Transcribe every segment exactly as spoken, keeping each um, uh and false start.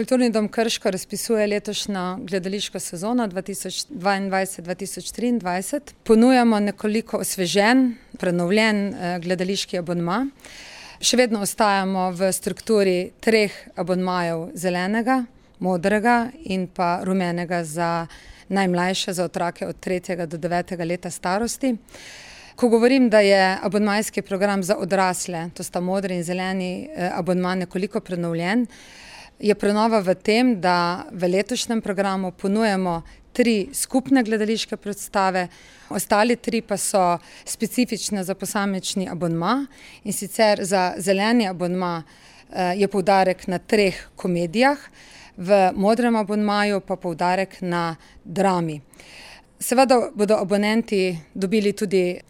Kulturni dom Krško razpisuje letošnjo gledališko sezono dva tisoč dvaindvajset dva tisoč triindvajset. Ponujamo nekoliko osvežen, prenovljen gledališki abonma. Še vedno ostajamo v strukturi treh abonmajev: zelenega, modrega in pa rumenega za najmlajše, za otroke od tretjega do devetega leta starosti. Ko govorim, da je abonmajski program za odrasle, to sta modri in zeleni abonma, nekoliko prenovljen, je prenova v tem, da v letošnjem programu ponujamo tri skupne gledališke predstave, ostali tri pa so specifične za posamični abonma, in sicer za zeleni abonma je poudarek na treh komedijah, v modrem abonmaju pa poudarek na drami. Seveda bodo abonenti dobili tudi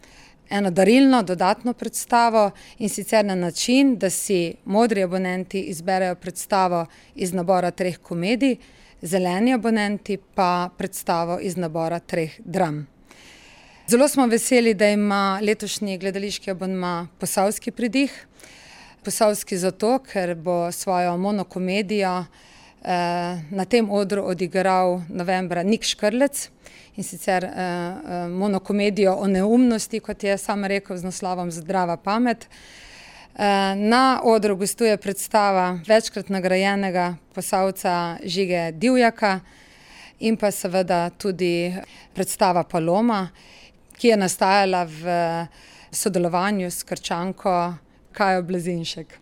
eno darilno, dodatno predstavo, in sicer na način, da si modri abonenti izberejo predstavo iz nabora treh komedij, zeleni abonenti pa predstavo iz nabora treh dram. Zelo smo veseli, da ima letošnji gledališki abonma posavski pridih. Posavski zato, ker bo svojo monokomedijo na tem odru odigral novembra Nik Škrlec, in sicer monokomedijo o neumnosti, kot je sam rekel, z naslovom Zdrava pamet. Na odru gostuje predstava večkrat nagrajenega Posavca Žige Divjaka in pa seveda tudi predstava Paloma, ki je nastajala v sodelovanju s Krčanko Kajo Blazinšek.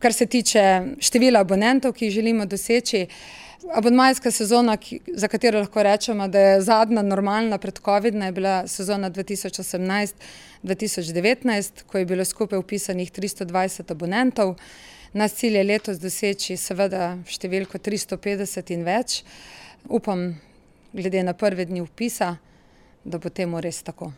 Kar se tiče števila abonentov, ki jih želimo doseči, abonmajska sezona, za katero lahko rečemo, da je zadnja normalna pred covidna, je bila sezona dva tisoč osemnajst dva tisoč devetnajst, ko je bilo skupaj vpisanih tristo dvajset abonentov. Naš cilj je letos doseči seveda številko tristo petdeset in več. Upam, glede na prve dni vpisa, da bo temu res tako.